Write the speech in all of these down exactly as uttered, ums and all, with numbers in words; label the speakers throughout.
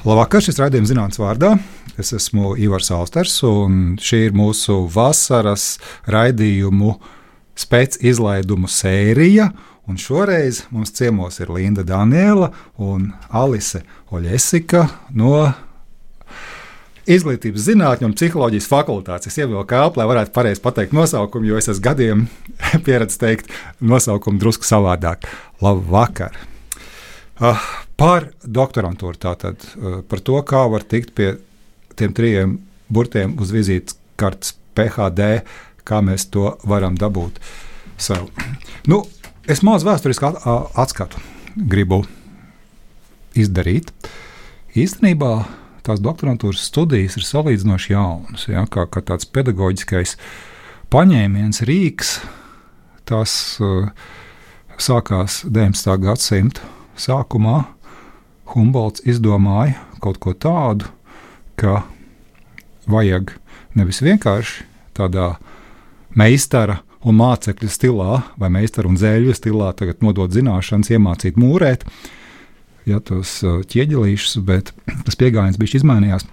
Speaker 1: Labvakar, šis raidījums zinātnes vārdā. Es esmu Ivars Austers, un šī ir mūsu vasaras raidījumu spēcizlaidumu sērija. Un šoreiz mums ciemos ir Linda Daniela un Alise Oļesika no Izglītības zinātņu un psiholoģijas fakultātes. Es ievilku elpu, lai varētu pareizi pateikt nosaukumu, jo es esmu gadiem pieredzējis teikt nosaukumu drusku savādāk. Labvakar! Uh, par doktorantūru tātad, uh, par to, kā var tikt pie tiem trijiem burtiem uz vizītes kartes P H D, kā mēs to varam dabūt sev. Nu, es mazu vēsturisku at, atskatu gribu izdarīt. Īstenībā tās doktorantūras studijas ir salīdzinoši jaunas, ja, kā, kā tāds pedagoģiskais paņēmiens, rīks. Tas uh, sākās deviņdesmitā gadsimta sākumā. Humbolts izdomāja kaut ko tādu, ka vajag nevis vienkārši tādā meistara un mācekļu stilā vai meistara un zēļu stilā tagad nodot zināšanas, iemācīt mūrēt, ja tos ķieģelīšus, bet tas pieejams bišķi izmainījās.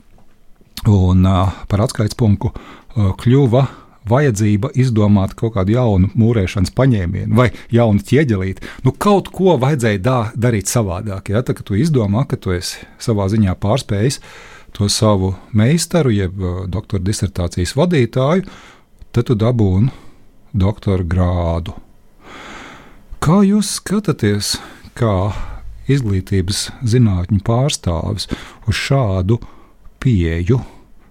Speaker 1: Un uh, par atskaites punktu uh, kļuva vajadzība izdomāt kaut kādu jaunu mūrēšanas paņēmienu vai jaunu ķieģelīti. Nu, kaut ko vajadzēja dā, darīt savādāk. Ja? Tā, ka tu izdomā, ka tu esi savā ziņā pārspējis to savu meistaru, jeb uh, doktora disertācijas vadītāju, tad tu dabūni doktora grādu. Kā jūs skatāties, kā izglītības zinātņu pārstāvis uz šādu pieeju?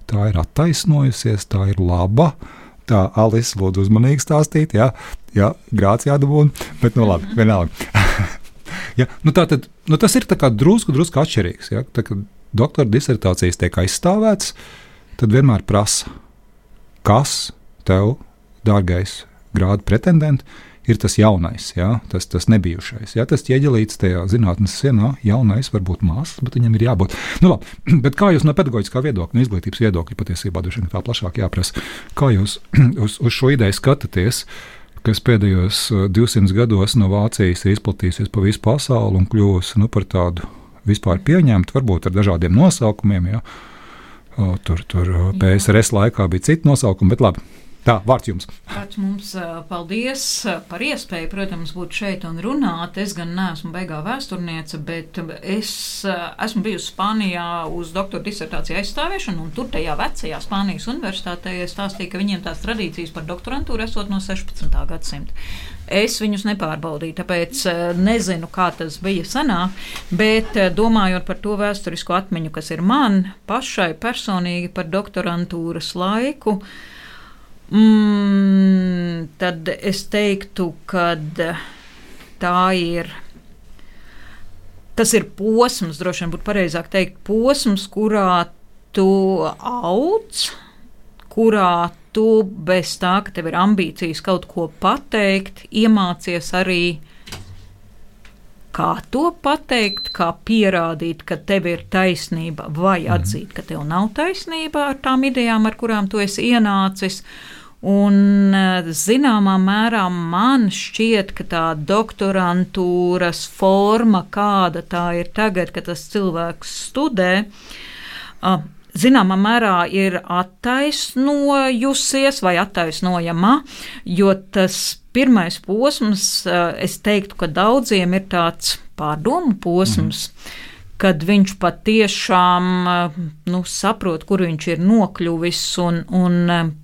Speaker 1: Tā ir attaisnojusies, tā ir laba. Tā, Alise, lūdzu uzmanīgi stāstīt, jā, jā grāts jādabūna, bet nu labi, vienalga. ja, nu tā tad, nu tas ir tā kā drusku, drusku atšķirīgs. Ja? Tā, kad doktora disertācijas tiek aizstāvēts, tad vienmēr prasa, kas tev, dārgais grādu pretendenti, ir tas jaunais, ja? tas, tas nebijušais. Ja? Tas ķieģelīts tajā zinātnes sienā, jaunais, varbūt māsas, bet viņam ir jābūt. Nu labi, bet kā jūs no pedagoģiskā viedokļa, no izglītības viedokļa, patiesībā droši vien tā plašāk jāprasa, kā jūs uz, uz šo ideju skatāties, kas pēdējos divsimt gados no Vācijas ir izplatījusies pa visu pasauli un kļuvusi nu, par tādu vispār pieņemtu, varbūt ar dažādiem nosaukumiem, ja? O, tur, tur P S R S laikā bija citi nosaukumi, bet labi. Tā, vārds jums.
Speaker 2: Vārds mums paldies par iespēju, protams, būt šeit un runāt. Es gan neesmu beigā vēsturniece, bet es esmu bijusi Spānijā uz doktora disertāciju aizstāviešanu, un tur tajā vecajā Spānijas universitātē stāstīja, ka viņiem tās tradīcijas par doktorantūru esot no sešpadsmitā gadsimta. Es viņus nepārbaudīju, tāpēc nezinu, kā tas bija senāk, bet domājot par to vēsturisko atmiņu, kas ir man pašai personīgi par doktorantūras laiku, Mm, tad es teiktu, ka tā ir, tas ir posms, droši vien būtu pareizāk teikt, posms, kurā tu audz, kurā tu bez tā, ka tev ir ambīcijas kaut ko pateikt, iemācies arī, kā to pateikt, kā pierādīt, ka tev ir taisnība, vai atzīt, ka tev nav taisnība ar tām idejām, ar kurām tu esi ienācis. Un zināmā mērā man šķiet, ka tā doktorantūras forma, kāda tā ir tagad, kad tas cilvēks studē, zināmā mērā ir attaisnojusies vai attaisnojama, jo tas pirmais posms, es teiktu, ka daudziem ir tāds pārdomu posms, mm. kad viņš patiešām nu, saprot, kur viņš ir nokļuvis un, un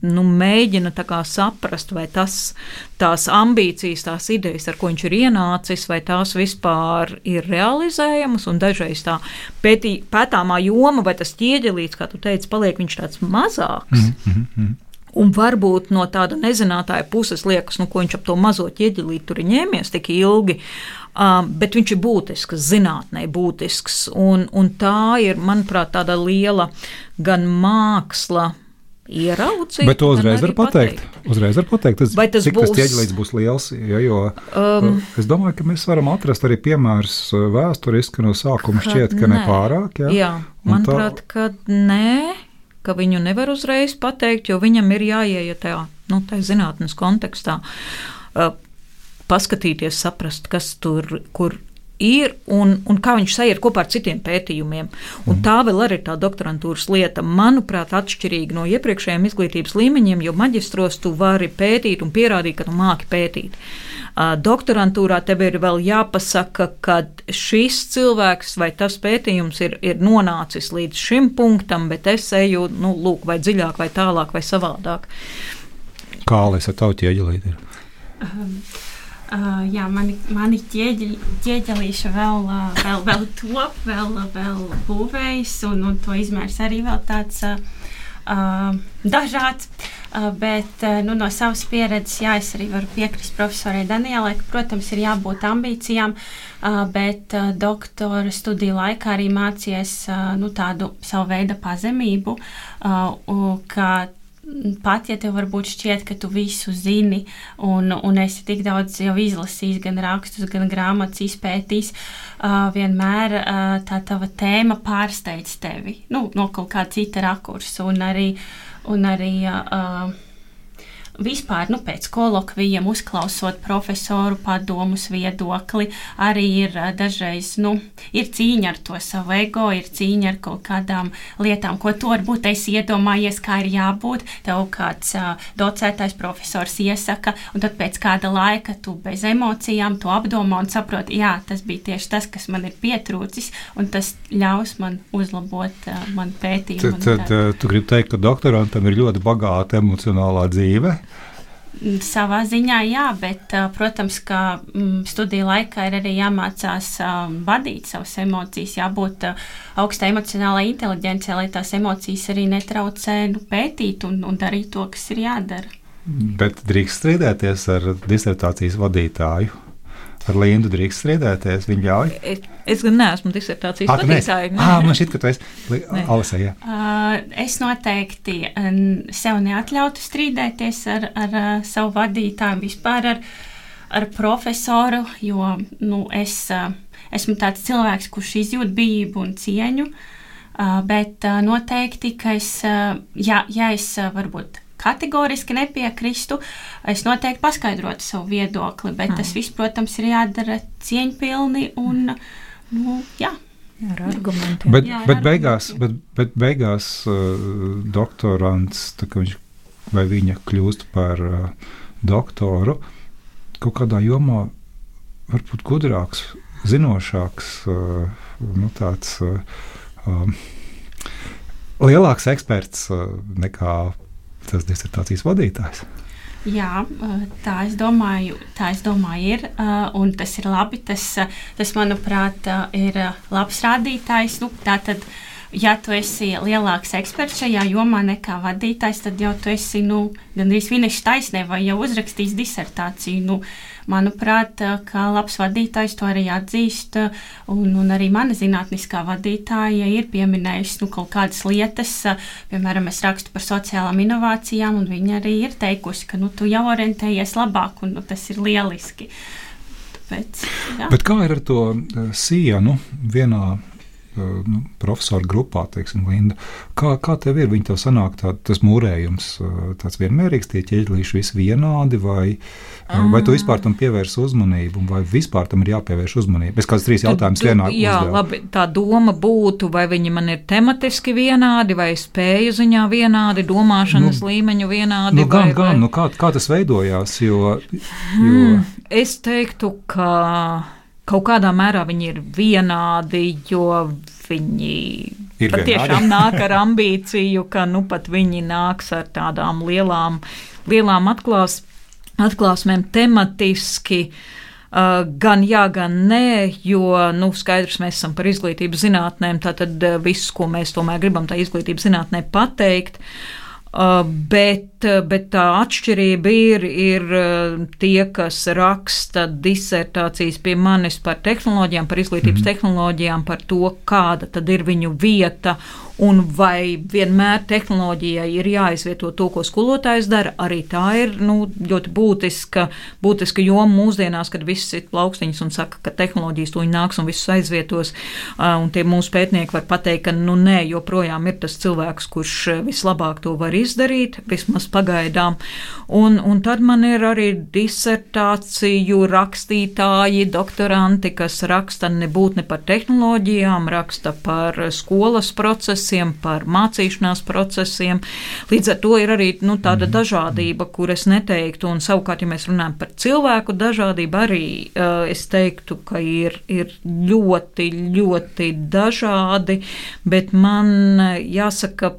Speaker 2: nu, mēģina tā kā saprast, vai tas, tās ambīcijas, tās idejas, ar ko viņš ir ienācis, vai tās vispār ir realizējamas, un dažreiz tā pētī, pētāmā joma, vai tas ķieģelīts, kā tu teici, paliek viņš tāds mazāks. Mm-hmm. Un varbūt no tāda nezinātāja puses liekas, nu, ko viņš ap to mazo ķieģelīti tur ir ņēmies tik ilgi, uh, bet viņš ir būtisks, zinātnē būtisks, un, un tā ir, manuprāt, tāda liela gan māksla ieraudzīt.
Speaker 1: Bet to uzreiz var pateikt. pateikt. Uzreiz var pateikt, tas, tas cik būs, tas ķieģelīts būs liels, ja, jo um, es domāju, ka mēs varam atrast arī piemērus vēsturiski no sākuma šķiet, ka ne pārāk. Ja?
Speaker 2: Jā, manuprāt, tā... ka nē. Ka viņu nevar uzreiz pateikt, jo viņam ir jāieiet tajā, nu, tajā zinātnes kontekstā, uh, paskatīties, saprast, kas tur, kur ir un, un kā viņš sajiet kopā ar citiem pētījumiem. Un tā vēl arī ir tā doktorantūras lieta, manuprāt, atšķirīga no iepriekšējiem izglītības līmeņiem, jo maģistros tu vari pētīt un pierādīt, ka tu māki pētīt. Doktorantūrā tev ir vēl jāpasaka, ka šis cilvēks vai tas pētījums ir, ir nonācis līdz šim punktam, bet es eju, nu, lūk, vai dziļāk, vai tālāk, vai savādāk.
Speaker 1: Kā Alisa ar tavu ķieģelīti ir?
Speaker 3: Um, uh, jā, mani, mani ķieģeļ, ķieģelīša vēl, uh, vēl, vēl top, vēl, vēl būvējas, un, un to izmērs arī vēl tāds uh, uh, dažāds. Uh, bet uh, nu, no savas pieredzes, jā, es arī varu piekrist profesorai Danielai, ka, protams, ir jābūt ambīcijām, uh, bet uh, doktora studiju laikā arī mācies uh, nu, tādu savu veidu pazemību, uh, ka pat, ja tev varbūt šķiet, ka tu visu zini un, un esi tik daudz jau izlasījis, gan rakstus, gan grāmatas izpētījis, uh, vienmēr uh, tā tava tēma pārsteidz tevi, nu, no kaut kā cita rakursa, un arī Un arī uh, vispār nu, pēc kolokvijiem uzklausot profesoru padomus viedokli, arī ir uh, dažreiz nu, ir cīņa ar to savu ego, ir cīņa ar kaut kādām lietām, ko tu varbūt esi iedomājies, kā ir jābūt. Tev kāds uh, docētais profesors iesaka, un tad pēc kāda laika tu bez emocijām to apdomā un saproti, jā, tas bija tieši tas, kas man ir pietrūcis, un tas ļaus man uzlabot uh, man pētījumu.
Speaker 1: Tad, tad uh, tu gribi teikt, ka doktorantam ir ļoti bagāta emocionālā dzīve?
Speaker 3: Savā ziņā jā, bet, protams, ka mm, studiju laikā ir arī jāmācās um, vadīt savas emocijas, jābūt uh, augstai emocionālai inteliģencei, lai tās emocijas arī netraucē nu, pētīt un, un darīt to, kas ir jādara.
Speaker 1: Bet drīkst strīdēties ar disertācijas vadītāju? Ar Lindu drīkst strīdēties, viņa ļauj?
Speaker 2: Es, es gan neesmu disertācijas
Speaker 1: à,
Speaker 2: vadītāja.
Speaker 1: Ā, man šķiet, ka tu esi Alisa, jā.
Speaker 3: Uh, es noteikti um, sev neatļautu strīdēties ar, ar uh, savu vadītāju, vispār ar, ar profesoru, jo nu, es uh, esmu tāds cilvēks, kurš izjūt bijību un cieņu, uh, bet uh, noteikti, ka es, uh, ja, ja es uh, varbūt kategoriski nepiekristu, es noteikti paskaidrotu savu viedokli, bet mm. tas viss, protams, ir jādara cieņpilni un, nu, jā.
Speaker 2: Ar argumentiem.
Speaker 1: Bet,
Speaker 3: jā, ar
Speaker 1: bet, beigās, bet, bet beigās uh, doktorants, tā kā viņš vai viņa kļūst par uh, doktoru, kaut kādā jomā varbūt gudrāks, zinošāks, uh, nu tāds uh, um, lielāks eksperts uh, nekā tas disertācijas vadītājs.
Speaker 3: Jā, tā es domāju, tā es domāju ir, un tas ir labi, tas, tas manuprāt, ir labs rādītājs. Nu, tātad, ja tu esi lielāks eksperts šajā jomā nekā vadītājs, tad jau tu esi, nu, gandrīz finiša taisnē vai jau uzrakstījis disertāciju. Nu, manuprāt, kā labs vadītājs to arī atzīst, un, un arī mana zinātniskā vadītāja ir pieminējusi nu, kaut kādas lietas, piemēram, es rakstu par sociālām inovācijām, un viņa arī ir teikusi, ka nu, tu jau orientējies labāk, un nu, tas ir lieliski. Tāpēc, jā.
Speaker 1: Bet kā ir ar to sienu vienā nu, profesoru grupā, teiksim, Linda, kā, kā tev ir? Viņi tev sanāk tā, tas mūrējums tāds vienmērīgs, tie ķieģelīši visi vienādi, vai, mm. vai tu vispār tam pievērsi uzmanību, vai vispār tam ir jāpievērš uzmanību? Es kāds trīs jautājumus vienā uzdevu.
Speaker 2: Jā, labi, tā doma būtu, vai viņi man ir tematiski vienādi, vai spēju ziņā vienādi, domāšanas nu, līmeņu vienādi.
Speaker 1: Nu, gan,
Speaker 2: vai,
Speaker 1: gan,
Speaker 2: vai...
Speaker 1: nu kā, kā tas veidojās, jo... jo...
Speaker 2: Hmm, es teiktu, ka... Kaut kādā mērā viņi ir vienādi, jo viņi
Speaker 1: ir
Speaker 2: patiešām nāk ar ambīciju, ka nu pat viņi nāks ar tādām lielām, lielām atklās, atklāsmēm tematiski. Uh, gan jā, gan nē, jo nu, skaidrs, mēs esam par izglītības zinātnēm, tātad uh, viss, ko mēs tomēr gribam tā izglītības zinātnē pateikt. Uh, bet, bet tā atšķirība ir, ir tie, kas raksta disertācijas pie manis par tehnoloģijām, par izglītības mm. tehnoloģijām, par to, kāda tad ir viņu vieta un vai vienmēr tehnoloģijai ir jāizvieto to, ko skolotājs dara. Arī tā ir nu, ļoti būtiska, būtiska joma mūsdienās, kad viss ir plaukstiņas un saka, ka tehnoloģijas to nāks un visus aizvietos. Uh, un tie mūsu pētnieki var pateikt, ka nu nē, joprojām ir tas cilvēks, kurš vislabāk to var izdarīt, vismaz pagaidām. Un, un tad man ir arī disertāciju rakstītāji, doktoranti, kas raksta nebūt ne par tehnoloģijām, raksta par skolas procesiem, par mācīšanās procesiem. Līdz ar to ir arī nu, tāda mm. dažādība, kur es neteiktu, un savukārt, ja mēs runājam par cilvēku dažādību, arī uh, es teiktu, ka ir, ir ļoti, ļoti dažādi, bet man jāsaka,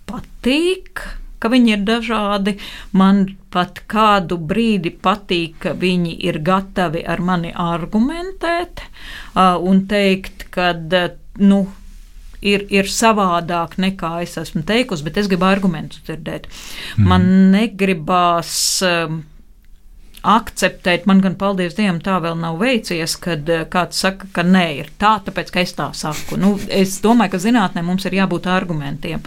Speaker 2: patīk, ka viņi ir dažādi. Man pat kādu brīdi patīk, ka viņi ir gatavi ar mani argumentēt uh, un teikt, ka uh, nu, ir, ir savādāk nekā es esmu teikusi, bet es gribu argumentus dzirdēt. Mm. Man negribās uh, akceptēt, man gan paldies Dievam tā vēl nav veicies, kad kāds saka, ka nē, ir tā, tāpēc, ka es tā saku. Nu, es domāju, ka zinātnē mums ir jābūt argumentiem.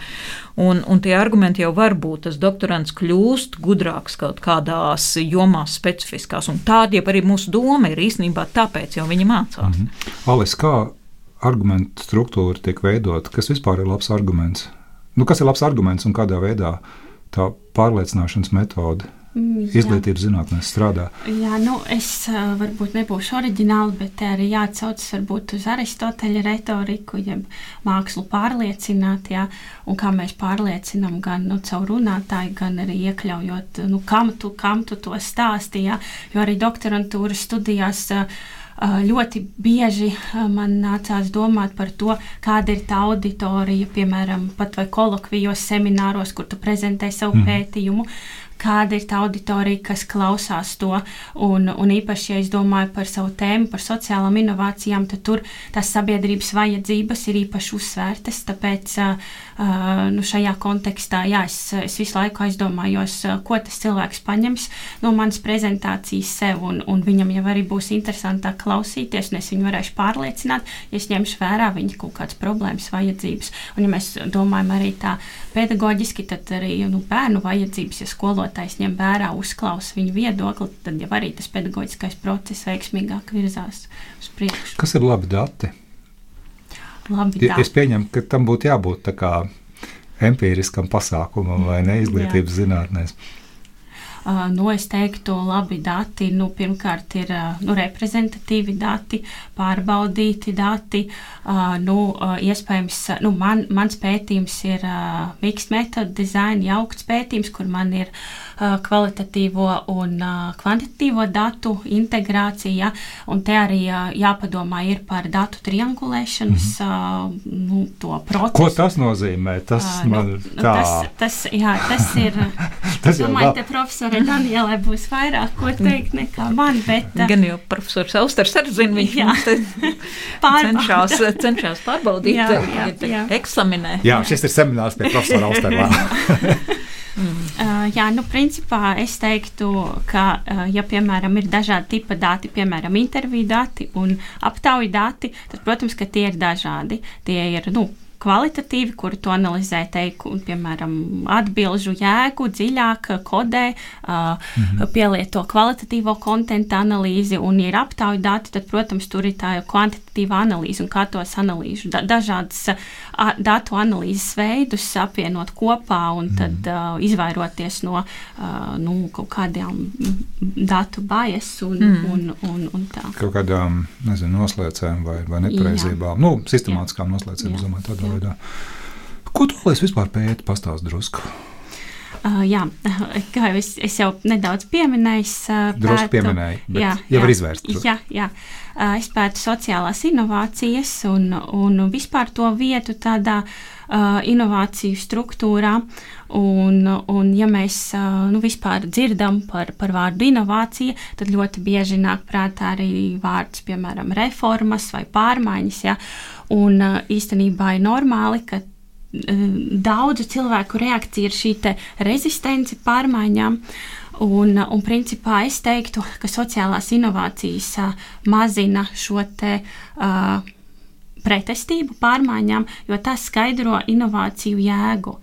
Speaker 2: Un, un tie argumenti jau var būt, tas doktorants kļūst gudrāks kaut kādās jomās specifiskās, un tāda jau arī mūsu doma ir īstenībā tāpēc, jau viņi mācās.
Speaker 1: Mm-hmm. Alis, kā argumentu struktūra tiek veidot? Kas vispār ir labs arguments? Nu, kas ir labs arguments un kādā veidā tā pārliecināšanas metode izglītības zinātnēs strādā?
Speaker 3: Jā, nu es uh, varbūt nebūšu oriģināli, bet te arī jāatsaucas varbūt uz Aristoteļa retoriku, jeb mākslu pārliecināt, jā, un kā mēs pārliecinām gan nu, caur runātāju, gan arī iekļaujot, nu, kam tu, kam tu to stāsti, jā, jo arī doktorantūras studijās uh, ļoti bieži man nācās domāt par to, kāda ir tā auditorija, piemēram, pat vai kolokvijos, semināros, kur tu prezentē savu mm. pētījumu, kāda ir tā auditorija, kas klausās to, un, un īpaši, ja es domāju par savu tēmu, par sociālām inovācijām, tad tur tās sabiedrības vajadzības ir īpaši uzsvērtas, tāpēc uh, nu, šajā kontekstā, jā, es, es visu laiku aizdomājos, ko tas cilvēks paņems no manas prezentācijas sev, un, un viņam jau arī būs interesantāk klausīties, un es viņu varēšu pārliecināt, ja es ņemšu vērā viņa kaut kādas problēmas, vajadzības, un ja mēs domājam arī tā pedagoģiski, tad arī nu, bērnu vajadzības, ja skolotājs ņem vērā, uzklausa viņu viedokli, tad jau arī tas pedagoģiskais process veiksmīgāk virzās uz priekšu.
Speaker 1: Kas ir labi dati?
Speaker 3: Labi dati.
Speaker 1: Es pieņemu, ka tam būtu jābūt tā kā empīriskam pasākumam vai ne izglītības zinātnēs.
Speaker 3: Uh, nu, es teiktu, labi dati, nu, pirmkārt ir uh, nu, reprezentatīvi dati, pārbaudīti dati, uh, nu, uh, iespējams, nu, man, mans pētījums ir uh, mixed method design, jaukts pētījums, kur man ir uh, kvalitatīvo un uh, kvantitatīvo datu integrācija, un te arī uh, jāpadomā ir par datu triangulēšanas mm-hmm. uh, nu, to procesu.
Speaker 1: Ko tas nozīmē? Tas uh, man
Speaker 3: nu,
Speaker 1: tā...
Speaker 3: Tas, tas, jā, tas ir, tas es domāju, te profesori Danielai būs vairāk ko teikt nekā man, bet...
Speaker 2: Gan jau profesors Austers arī zina, viņš cenšās, cenšās pārbaudīt, jā, jā, jā. eksaminē.
Speaker 1: Jā, šis ir seminārs pie profesora Austerā.
Speaker 3: mm. uh, jā, nu, principā es teiktu, ka, uh, ja, piemēram, ir dažādi tipa dati, piemēram, interviju dati un aptauju dati, tad, protams, ka tie ir dažādi. Tie ir, nu, kvalitatīvi, kuru tu analizē teiku, piemēram, atbilžu jēgu, dziļāk kodē, uh, mm-hmm. pielieto kvalitatīvo kontentu analīzi, un ja ir aptauju dati, tad, protams, tur ir tā kvantitatīva analīze, un kā tos analīžu. Da- dažādas uh, datu analīzes veidus apvienot kopā, un tad mm-hmm. uh, izvairoties no uh, nu, kaut kādām datu bias un, mm-hmm. un, un, un tā.
Speaker 1: Kaut kādām, nezinu, noslēcēm vai, vai nepareizībām. Nu, sistemātiskām noslēcēm, es domāju, tādā. Veidā. Ko tu vēl vispār pēti, pastāst drusku?
Speaker 3: Uh, jā, kā jau es, es jau nedaudz pieminēju. Uh,
Speaker 1: drusku pieminēju, bet jā, jau
Speaker 3: jā,
Speaker 1: var izvērst.
Speaker 3: Jā, jā. Uh, es pētu sociālās inovācijas un, un vispār to vietu tādā uh, inovāciju struktūrā. Un, un ja mēs uh, nu, vispār dzirdam par, par vārdu inovācija, tad ļoti bieži nāk prātā arī vārds, piemēram, reformas vai pārmaiņas. Ja? Un uh, īstenībā ir normāli, ka daudzu cilvēku reakcija ir šī te rezistence pārmaiņām, un, un principā es teiktu, ka sociālās inovācijas uh, mazina šo te uh, pretestību pārmaiņām, jo tas skaidro inovāciju jēgu.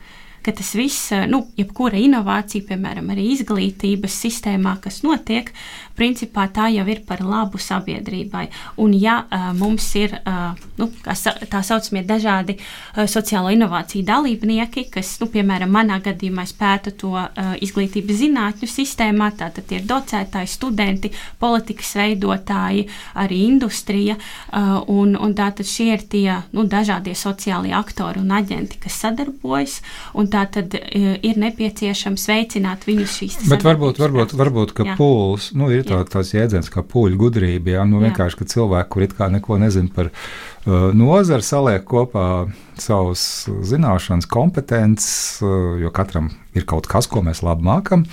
Speaker 3: ka tas viss, nu, jebkura inovācija, piemēram, arī izglītības sistēmā, kas notiek, principā tā jau ir par labu sabiedrībai. Un ja uh, mums ir, uh, nu, tā saucamie dažādi uh, sociālo inovāciju dalībnieki, kas, nu, piemēram, manā gadījumā es pētu to uh, izglītības zinātņu sistēmā, tātad ir docētāji, studenti, politikas veidotāji, arī industrija, uh, un, un tātad šie ir tie, nu, dažādie sociālie aktori un aģenti, kas sadarbojas, un tātad uh, ir nepieciešams veicināt viņus šīs sadarbības.
Speaker 1: Bet varbūt, varbūt, varbūt, ka pūls, nu, ir tā, tāds jēdziens kā pūļu gudrība, jā, nu vienkārši, ka cilvēki, kur it kā neko nezin par uh, nozari, saliek kopā savus zināšanas, kompetences, uh, jo katram ir kaut kas, ko mēs labi mākam,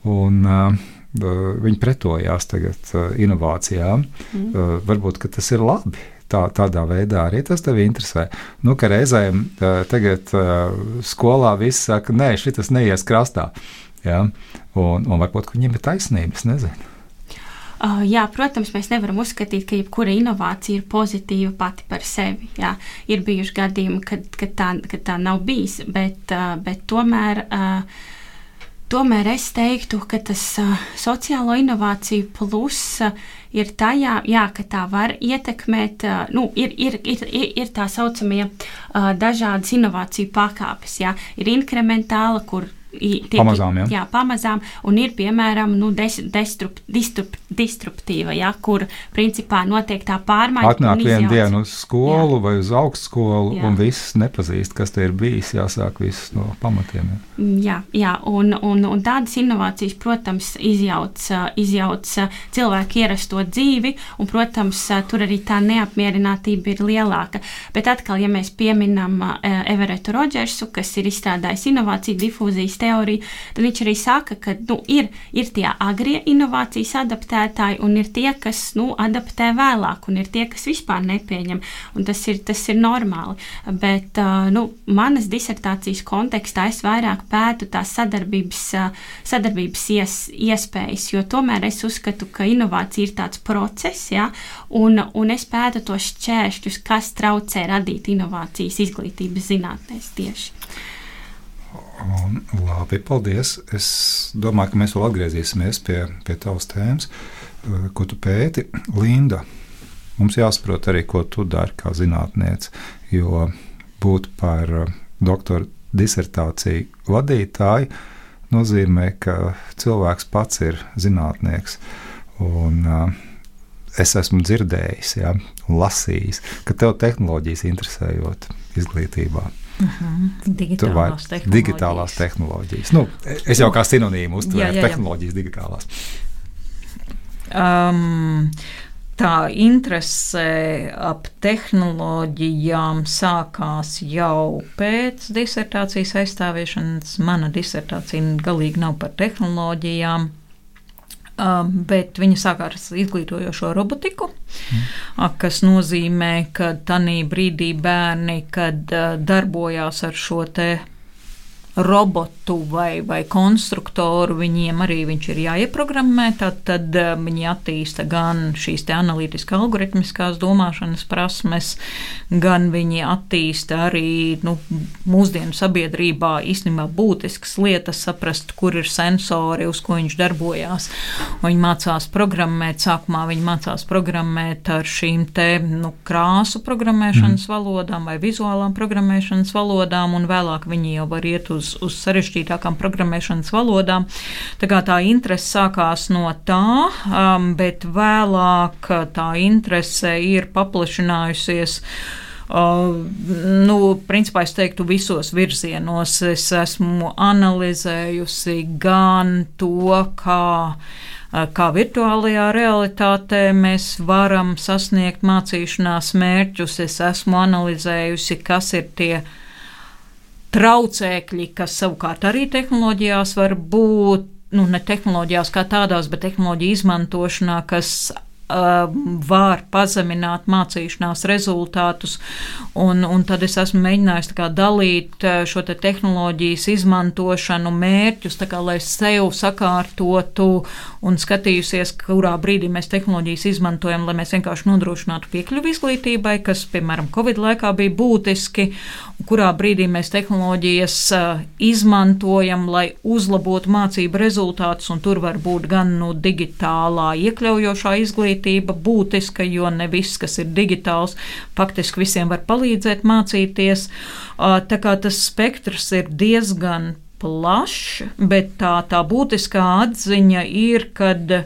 Speaker 1: un uh, viņi pretojās tagad uh, inovācijām. Mm. Uh, varbūt, ka tas ir labi. Tā, tādā veidā arī tas tevi interesē. Nu, ka reizēm uh, tagad uh, skolā viss saka, nē, šitas neies krastā. Jā? Un, un varbūt, ka viņiem ir taisnība, es nezinu.
Speaker 3: Uh, jā, protams, mēs nevaram uzskatīt, ka jebkura inovācija ir pozitīva pati par sevi. Jā. Ir bijuši gadījumi, kad, kad, tā, kad tā nav bijis, bet, uh, bet tomēr, uh, tomēr es teiktu, ka tas uh, sociālo inovāciju plus uh, ir tajā, jā, ka tā var ietekmēt, uh, nu, ir, ir, ir, ir tā saucamie uh, dažādas inovāciju pakāpes. Jā. Ir inkrementāla, kur tiek,
Speaker 1: pamazām, jā.
Speaker 3: jā, pamazām, un ir, piemēram, nu, des, destrup, distrup, distruptīva, jā, kur principā notiek tā pārmaiņa.
Speaker 1: Atnāk vienu dienu uz skolu jā. Vai uz augstskolu,
Speaker 3: jā.
Speaker 1: Un viss nepazīst, kas te ir bijis, jāsāk viss no pamatiem. Jā,
Speaker 3: jā, jā un, un, un tādas inovācijas, protams, izjauc, izjauc cilvēku ierasto dzīvi, un, protams, tur arī tā neapmierinātība ir lielāka. Bet atkal, ja mēs pieminam Everettu Rodžersu, kas ir izstrādājis inovāciju difūzijas teoriju, tad viņš arī saka, ka nu, ir, ir tie agrie inovācijas adaptētāji un ir tie, kas nu, adaptē vēlāk un ir tie, kas vispār nepieņem. Un tas ir, tas ir normāli. Bet uh, nu, manas disertācijas kontekstā es vairāk pētu tās sadarbības, uh, sadarbības ies, iespējas, jo tomēr es uzskatu, ka inovācija ir tāds process, ja, un, un es pētu tos šķēršļus, kas traucē radīt inovācijas izglītības zinātnēs tieši.
Speaker 1: Un, labi, paldies. Es domāju, ka mēs vēl atgriezīsimies pie, pie tavas tēmas, ko tu pēti. Linda, mums jāsaprot arī, ko tu dari kā zinātniece, jo būt par doktora disertāciju vadītāju nozīmē, ka cilvēks pats ir zinātnieks. Un uh, es esmu dzirdējis, ja, un lasījis, ka tev tehnoloģijas interesējot izglītībā.
Speaker 2: Uh-huh. Digitālās tehnoloģijas.
Speaker 1: Digitālās tehnoloģijas. Nu, es jau kā sinonīmu uztvēru tehnoloģijas digitālās.
Speaker 2: Um, tā interese ap tehnoloģijām sākās jau pēc disertācijas aizstāvēšanas. Mana disertācija galīgi nav par tehnoloģijām. Um, bet viņa sākās ar izglītojošo robotiku, mm. kas nozīmē, ka tanī brīdī bērni, kad uh, darbojās ar šo te robotu vai, vai konstruktoru, viņiem arī viņš ir jāieprogrammē, tad, tad viņi attīsta gan šīs te analītiski algoritmiskās domāšanas prasmes, gan viņi attīsta arī nu, mūsdienu sabiedrībā īstenībā būtiskas lietas, saprast, kur ir sensori, uz ko viņš darbojās. Un viņi mācās programmēt, sākumā viņi mācās programmēt ar šīm te nu, krāsu programmēšanas mm. valodām vai vizuālām programmēšanas valodām, un vēlāk viņi jau var iet uz uz sarežģītākām programmēšanas valodām. Tā kā tā interese sākās no tā, um, bet vēlāk tā interese ir paplašinājusies. Uh, nu, principā es teiktu visos virzienos. Es esmu analizējusi gan to, kā kā virtuālajā realitātē mēs varam sasniegt mācīšanās mērķus. Es esmu analizējusi, kas ir tie traucēkļi, kas savukārt arī tehnoloģijās var būt, nu ne tehnoloģijās kā tādās, bet tehnoloģiju izmantošanā, kas uh, var pazemināt mācīšanās rezultātus, un, un tad es esmu mēģinājis tā kā dalīt šo te tehnoloģijas izmantošanu mērķus, tā kā lai sev sakārtotu un skatījusies, kurā brīdī mēs tehnoloģijas izmantojam, lai mēs vienkārši nodrošinātu piekļuvi izglītībai, kas, piemēram, Covid laikā bija būtiski, kurā brīdī mēs tehnoloģijas izmantojam, lai uzlabotu mācību rezultātus, un tur var būt gan nu, digitālā iekļaujošā izglītība būtiska, jo ne viss, kas ir digitāls, faktiski visiem var palīdzēt mācīties. Tā kā tas spektrs ir diezgan plašs, bet tā, tā būtiskā atziņa ir, kad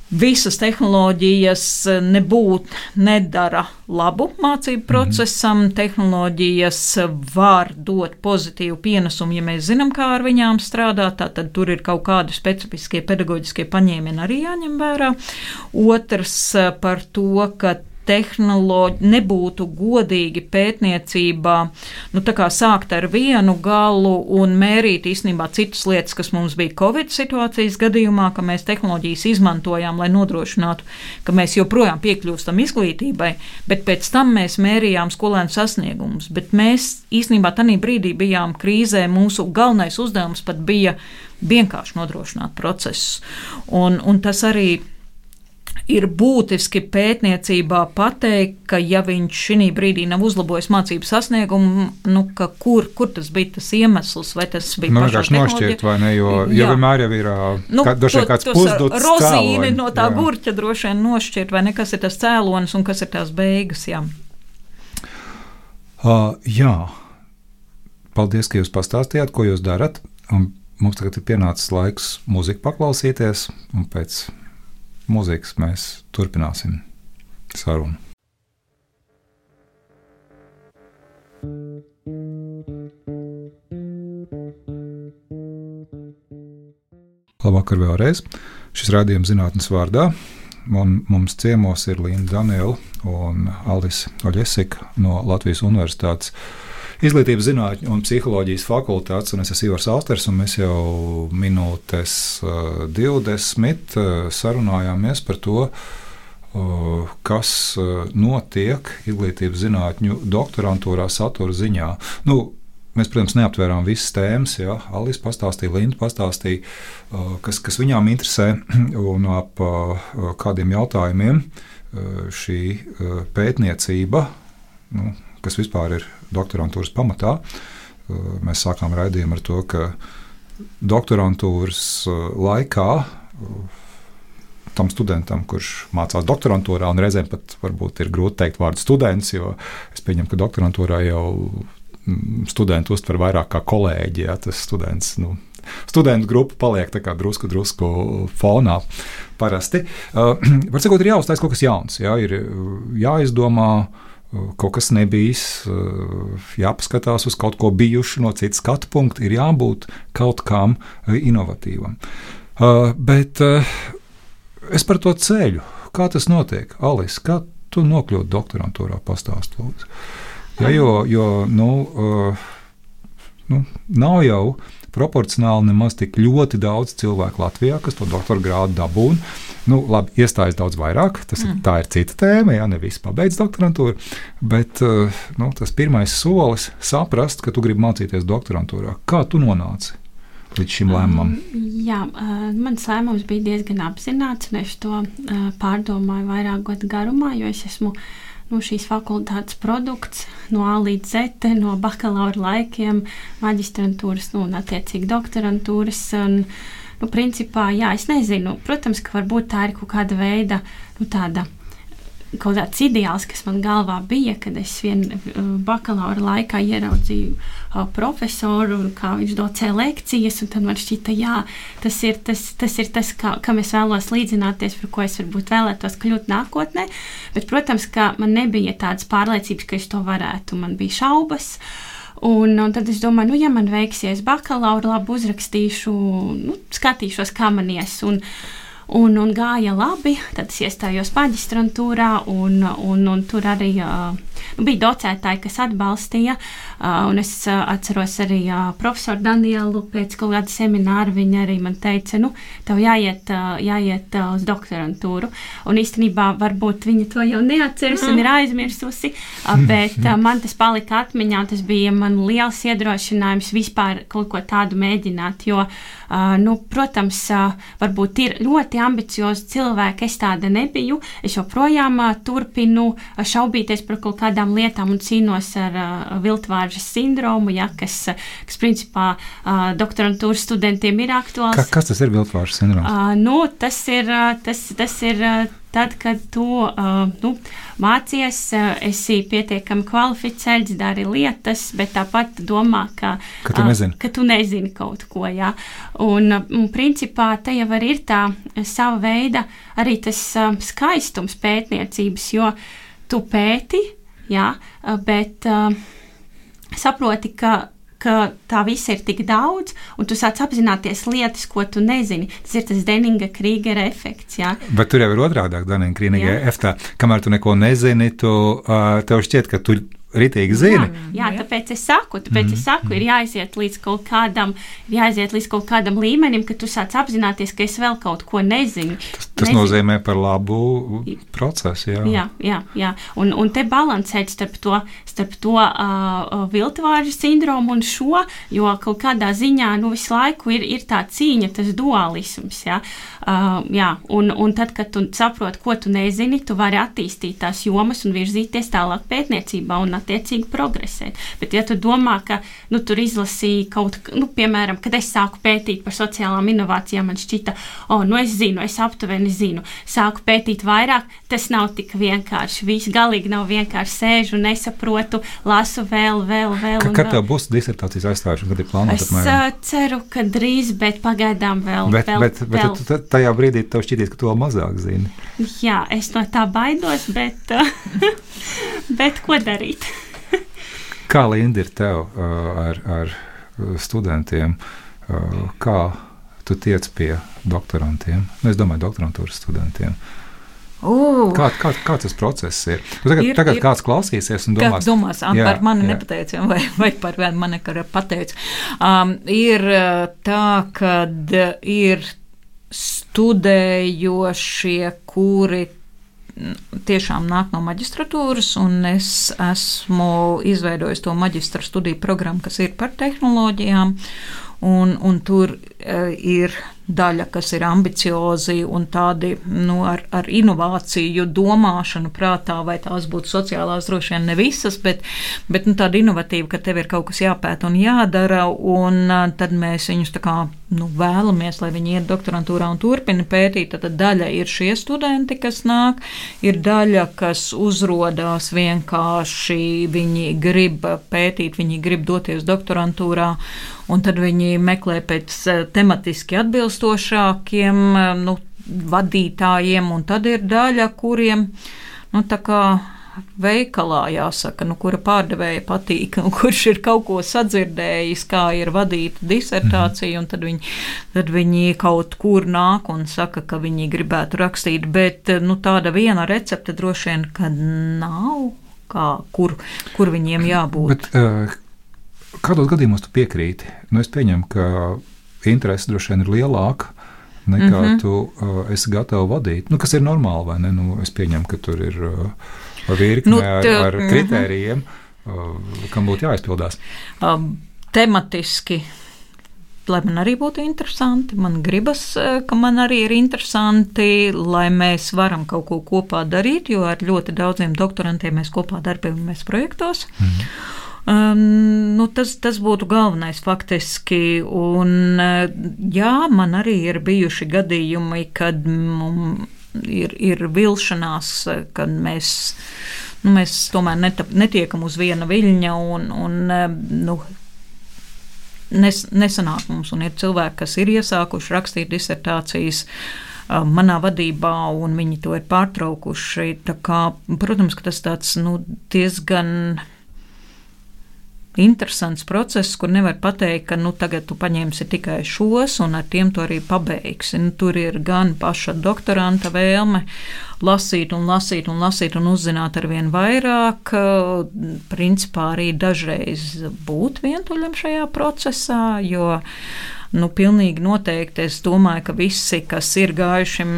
Speaker 2: visas tehnoloģijas nebūtu, nedara labu mācību procesam. Mm-hmm. Tehnoloģijas var dot pozitīvu pienesumu, ja mēs zinām, kā ar viņām strādāt, tad tur ir kaut kādi specifiskie pedagoģiskie paņēmieni arī jāņem vērā. Otrs par to, ka tehnoloģi nebūtu godīgi pētniecībā, nu tā kā sākt ar vienu galu un mērīt īstenībā citas lietas, kas mums bija Covid situācijas gadījumā, ka mēs tehnoloģijas izmantojām, lai nodrošinātu, ka mēs joprojām piekļūstam izglītībai, bet pēc tam mēs mērījām skolēnu sasniegumus. Bet mēs īstenībā tanī brīdī bijām krīzē, mūsu galvenais uzdevums pat bija vienkārši nodrošināt procesus. Un, un tas arī ir būtiski pētniecībā pateikt, ka ja viņš šī brīdī nav uzlabojis mācību sasniegumu, nu, ka kur, kur tas bija tas iemesls, vai tas bija
Speaker 1: nu,
Speaker 2: pašā tehnoloģija.
Speaker 1: Nošķirt, vai ne, jo, jo vienmēr jau ir
Speaker 2: nu,
Speaker 1: kā, to, kāds pusduts
Speaker 2: rozīni no tā jā. Gurķa droši vien nošķirt, vai ne, kas ir tas cēlonis un kas ir tās beigas, jā.
Speaker 1: Uh, jā. Paldies, ka jūs pastāstījāt, ko jūs darat, un mums tagad ir pienācis laiks mūziku paklausīties, un pēc mūzikas mēs turpināsim sarunu. Labvakar vēlreiz. Šis raidījums zinātnes vārdā. Man, mums ciemos ir Linda Daniela un Alise Oļesika no Latvijas Universitātes Izglītības zinātņu un psiholoģijas fakultātes, un es esmu Ivars Alsters, un mēs jau minūtes uh, divdesmit uh, sarunājāmies par to, uh, kas uh, notiek izglītības zinātņu doktorantūrā satura ziņā. Nu, mēs, protams, neaptvērām visas tēmas, ja? Alise pastāstīja, Linda pastāstīja, uh, kas, kas viņām interesē, un ap uh, kādiem jautājumiem uh, šī uh, pētniecība, nu, kas vispār ir doktorantūras pamatā. Mēs sākām raidījumu ar to, ka doktorantūras laikā tam studentam, kurš mācās doktorantūrā, un reizēm pat varbūt ir grūti teikt vārdu students, jo es pieņemu, ka doktorantūrā jau studenti uztver vairāk kā kolēģi, ja, tas students, nu, studentu grupa paliek tā kā drusku, drusku fonā parasti. Uh, var sakot, ir jāuztais kaut kas jauns, ja, ir jāizdomā kaut kas nebijis, jāpaskatās uz kaut ko bijušu no citas skatu punkta, ir jābūt kaut kam inovatīvam. Bet es par to ceļu, kā tas notiek? Alise, kā tu nokļūti doktorantūrā, pastāst lūdzu? Ja, jo, jo nu, nu, nav jau proporcionāli nemaz tik ļoti daudz cilvēku Latvijā, kas to doktora grādu dabūna. Nu, labi, iestājas daudz vairāk, tas ir, mm. tā ir cita tēma, jā, ne visi pabeidz doktorantūru, bet nu, tas pirmais solis saprast, ka tu gribi mācīties doktorantūrā. Kā tu nonāci līdz šim lēmumam?
Speaker 3: Um, jā, uh, mans lēmums bija diezgan apzināts, un es to uh, pārdomāju vairāk gadu garumā, jo es esmu nu, šīs fakultātes produkts no A līdz Z, no bakalaura laikiem, maģistrantūras nu, un attiecīgi doktorantūras. Un, nu, principā, jā, es nezinu, protams, ka varbūt tā ir kaut kāda veida, nu, tāda, kaut tāds ideāls, kas man galvā bija, kad es vien bakalaura laikā ieraudzīju uh, profesoru, kā viņš docē lekcijas, un tad man šķita, jā, tas ir tas, tas, ir tas kā, kam es vēlos līdzināties, par ko es varbūt vēlētos kļūt nākotnē, bet, protams, ka man nebija tādas pārliecības, ka es to varētu, man bija šaubas. Un, un tad es domāju, nu, ja man veiksies bakalaura, labi uzrakstīšu, nu, skatīšos, kā man ies. Un, un, un gāja labi, tad es iestājos maģistrantūrā, un, un, un tur arī uh, nu, bija docētāji, kas atbalstīja. Uh, un es uh, atceros arī uh, profesoru Danielu pēc kaut kāda semināra. Viņa arī man teica, nu, tev jāiet, uh, jāiet uh, uz doktorantūru. Un īstenībā varbūt viņa to jau neatceras un ir aizmirsusi, uh, bet uh, man tas palika atmiņā. Tas bija man liels iedrošinājums vispār kaut ko tādu mēģināt, jo, uh, nu, protams, uh, varbūt ir ļoti ambiciozi cilvēki, es tāda nebiju. Es joprojām uh, turpinu uh, šaubīties par kaut kādām lietām un cīnos ar uh, viltvāržas sindromu, ja, kas, kas principā uh, doktorantūras studentiem ir aktuāls.
Speaker 1: Ka, kas tas ir viltvāržas sindroms?
Speaker 3: Uh, nu, tas ir, uh, tas, tas ir uh, tad, kad tu uh, nu, mācies, uh, esi pietiekami kvalificēts, dari lietas, bet tāpat domā, ka,
Speaker 1: ka, tu, nezini.
Speaker 3: uh, ka tu nezini kaut ko. Ja? Un, un principā te jau arī ir tā sava veida arī tas uh, skaistums pētniecības, jo tu pēti, ja, bet uh, saproti, ka ka tā viss ir tik daudz, un tu sāc apzināties lietas, ko tu nezini. Tas ir tas Deninga-Krīgera efekts, jā.
Speaker 1: Bet tur jau ir otrādāk Deninga-Krīgera efektā. Kamēr tu neko nezini, tu, uh, tev šķiet, ka tu ritīgi zini.
Speaker 3: Jā, jā, tāpēc es saku, tāpēc mm. es saku, ir jāaiziet līdz kaut kādam, ir jāaiziet līdz kaut kādam līmenim, ka tu sāc apzināties, ka es vēl kaut ko nezinu.
Speaker 1: Tas, tas nezinu. Nozīmē par labu procesu, jā.
Speaker 3: Jā, jā, jā. Un, un te balansēt starp to, starp to uh, viltvāržu sindromu un šo, jo kaut kādā ziņā, nu, visu laiku ir, ir tā cīņa, tas dualisms, jā. Uh, jā, un, un tad, kad tu saproti, ko tu nezini, tu vari attīstīt tās jomas un virzīties tālāk pētniecībā un attiecīgi progresēt. Bet ja tu domā, ka nu, tur izlasīja kaut, nu, piemēram, kad es sāku pētīt par sociālām inovācijām, man šķita, o, nu es zinu, es aptuveni zinu, sāku pētīt vairāk, tas nav tik vienkārši, viss galīgi nav vienkārši sēžu, nesaprotu, lasu vēl, vēl, vēl.
Speaker 1: Ka, kad tev būs disertācijas aizstājušana, kad ir plānota?
Speaker 3: Es apmēram? ceru, ka drīz, bet pagaidām vēl.
Speaker 1: Bet,
Speaker 3: vēl,
Speaker 1: bet, bet vēl. Tu, tajā brīdī tev šķitīs, ka tu vēl mazāk zini.
Speaker 3: Jā, es no tā baidos, bet, bet ko darīt?
Speaker 1: Kā, Linda, ir tev uh, ar, ar studentiem? Uh, kā tu tiec pie doktorantiem? Nu, es domāju, doktorantūras studentiem.
Speaker 2: Uh,
Speaker 1: kā, kā, kā tas process ir? Tu tagad,
Speaker 2: ir,
Speaker 1: tagad
Speaker 2: ir,
Speaker 1: kāds klausīsies un domās,
Speaker 2: domās jā, par mani nepateici, vai, vai par mani pateici. Um, ir tā, kad ir studējošie, kuri tiešām nāk no maģistratūras, un es esmu izveidojis to maģistra studiju programmu, kas ir par tehnoloģijām, un, un tur uh, ir daļa, kas ir ambiciozi un tādi nu, ar, ar inovāciju domāšanu prātā, vai tās būtu sociālās, droši vien ne visas, bet, bet nu, tāda inovatīva, ka tev ir kaut kas jāpēta un jādara, un uh, tad mēs viņus tā kā nu, vēlamies, lai viņi iet doktorantūrā un turpina pētīt. Tad daļa ir šie studenti, kas nāk, ir daļa, kas uzrodās vienkārši, viņi grib pētīt, viņi grib doties doktorantūrā, un tad viņi meklē pēc tematiski atbilstošākiem nu, vadītājiem, un tad ir daļa, kuriem nu, tā kā veikalā jāsaka, nu, kura pārdevēja patīk, un kurš ir kaut ko sadzirdējis, kā ir vadīta disertācija, un tad viņi, tad viņi kaut kur nāk un saka, ka viņi gribētu rakstīt, bet nu, tāda viena recepte droši vien, ka nav, kā, kur, kur viņiem jābūt.
Speaker 1: Bet, uh, kādos gadījumos tu piekrīti? Nu, es pieņemu, ka interese droši vien ir lielāka nekā mm-hmm. tu uh, esi gatava vadīt. Nu, kas ir normāli, vai ne? Nu, es pieņemu, ka tur ir uh, virkne nu, te, ar, ar kritērijiem, mm-hmm. uh, kam būtu jāizpildās.
Speaker 2: Um, tematiski, lai man arī būtu interesanti, man gribas, ka man arī ir interesanti, lai mēs varam kaut ko kopā darīt, jo ar ļoti daudziem doktorantiem mēs kopā darbojamies projektos. Mm-hmm. Um, nu tas, tas būtu galvenais faktiski, un jā, man arī ir bijuši gadījumi, kad mm, ir, ir vilšanās, kad mēs, nu, mēs tomēr netap, netiekam uz viena viļņa, un, un nu, nes, nesanāk mums, un ir cilvēki, kas ir iesākuši rakstīt disertācijas manā vadībā, un viņi to ir pārtraukuši. Tā kā, protams, ka tas tāds, nu, diezgan interesants process, kur nevar pateikt, ka nu, tagad tu paņemsi tikai šos un ar tiem to arī pabeigsi. Nu, tur ir gan paša doktoranta vēlme lasīt un lasīt un lasīt un uzzināt ar vien vairāk, principā arī dažreiz būt vientuļam šajā procesā, jo nu, pilnīgi noteikti es domāju, ka visi, kas ir gājušiem